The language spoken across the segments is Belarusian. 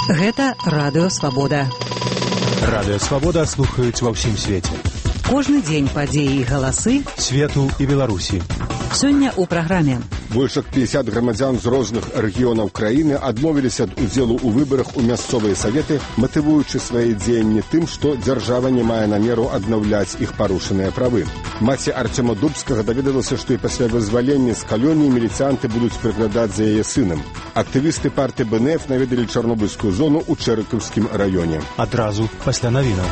Гэта Радыё Свабода. Радыё Свабода слухаюць ва ўсім свеце. Кожны дзень падзеі і галасы свету і Беларусі. Сёння ў праграме. Больш як 50 грамадзян з розных рэгіёнаў краіны адмовіліся ад удзелу ў выбарах у мясцовыя саветы, матывуючы свае дзеянні тым, што дзяржава не мае намеру аднаўляць іх парушаныя правы. Маці Арцёма Дубскага даведалася, што і пасля вызвалення з калоніі міліцыянты будуць прыглядаць за яе сынам. Актывісты партыі БНФ наведалі Чарнобыльскую зону ў Чэрыкаўскім раёне. Адразу пасля навінаў.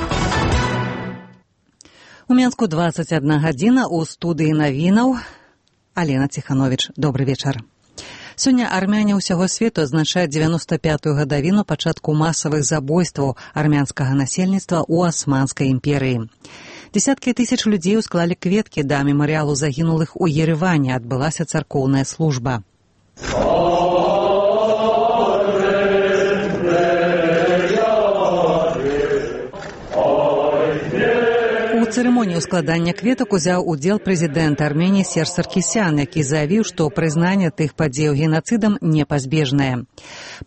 У Менску 21 гадзіна, у студыі навінаў Алена Ціхановіч. Добры вечар. Сёння армяне ўсяго свету адзначаюць 95-ю гадавіну пачатку масавых забойстваў армянскага насельніцтва ў Асманскай імперыі. Десяткі тысяч людзей усклалі кветкі да мемарыялу загінулых у Ерэване, адбылася царкоўная служба. У цырымоніі складання кветак узяў удзел прэзідэнт Арменіі Серж Саркісян, які заявіў, што прызнанне тых падзеяў генацыдам непазбежнае.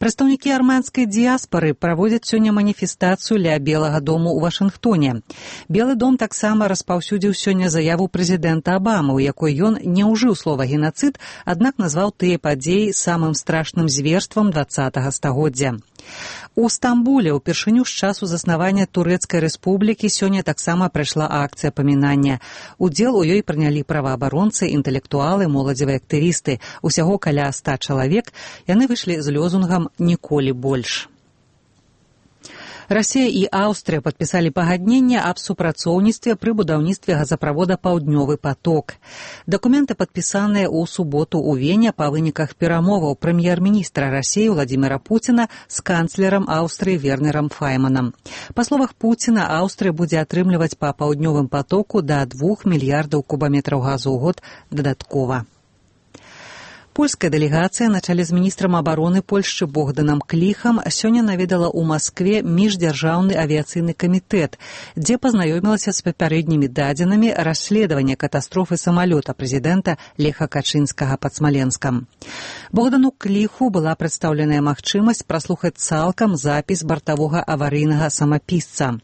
Прадстаўнікі армянскай дыяспары праводзяць сёння маніфестацыю ля Белага дому ў Вашынгтоне. Белы дом таксама распаўсюдзіў сёння заяву прэзідэнта Абамы, у якой ён не ўжыў слова генацыд, аднак назваў тыя падзеі самым страшным зверствам 20-го стагоддзя. У Стамбуле ўпершыню з часу заснавання Турэцкай рэспублікі сёння таксама прайшла акцыя памінання. Удзел у ёй прынялі праваабаронцы, інтэлектуалы, моладзевыя актывісты. Усяго каля 100 чалавек. Яны выйшлі з лёзунгам «Ніколі больш». Расія і Аўстрыя падпісалі пагадненне аб супрацоўніцтве пры будаўніцтве газаправода «Паўднёвы поток». Дакументы падпісаныя ў суботу ў Вене па выніках перамоваў прэм'ер-міністра Расіі Владзіміра Пуціна з канцлерам Аўстрыі Вернерам Файманам. Па словах Пуціна, Аўстрыя будзе атрымліваць па «Паўднёвым потоку» да 2 мільярдаў кубаметраў газу ў год дадаткова. Польская дэлегацыя на чале з міністрам абароны Польшчы Богданам Кліхам сёння наведала ў Маскве міждзяржаўны авіяцыйны камітэт, дзе пазнаёмілася з папярэднімі дадзенымі расследавання катастрофы самалёта прэзідэнта Леха Качынскага пад Смаленскам. Богдану Кліху была прадстаўленая магчымасць праслухаць цалкам запіс бартавога аварыйнага самапісца.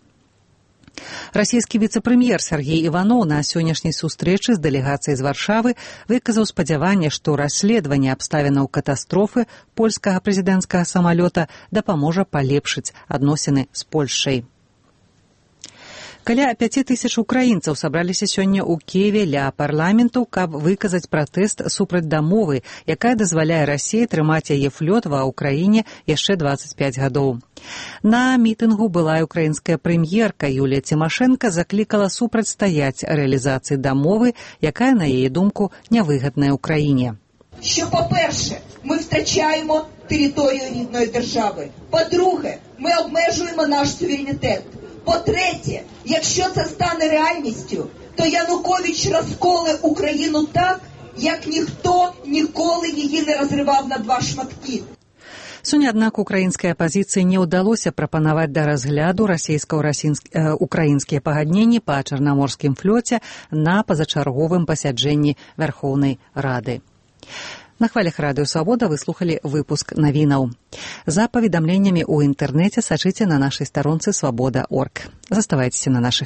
Расійскі віцэ-прэм'ер Сергей Іваноў на сённяшняй сустрэчы з дэлегацыяй з Варшавы выказаў спадзяванне, што расследаванне абставінаў катастрофы польскага прэзідэнцкага самалёта дапаможа палепшыць адносіны з Польшчай. Каля 5000 украінцаў сабраліся сёння ў Кіеве ля парламенту, каб выказаць пратэст супраць дамовы, якая дазваляе Расіі трымаць яе флёт ва ўкраіне яшчэ 25 гадоў. На мітынгу былая украінская прэм'ерка Юлія Цімашэнка заклікала супрацьстаяць рэалізацыі дамовы, якая, на яе думку, нявыгадная Україні. Що, по-перше, ми втрачаємо територію рідної держави. По-друге, ми обмежуємо наш суверенітет. По-третє, якщо це стане реальністю, то Янукович розколе Україну так, як ніхто ніколи її не розривав на два шматки. Сёння, аднак, украінскай апазіцыі не ўдалося прапанаваць да разгляду расійска-украінскія пагадненні па чарнаморскім флоце на пазачарговым пасяджэнні Вярхоўнай Рады. На хвалях Радыё Свабода вы слухалі выпуск навінаў. За паведамленнямі ў інтэрнэце сачыце на нашай старонцы свабода.орг. Заставайцеся на нашых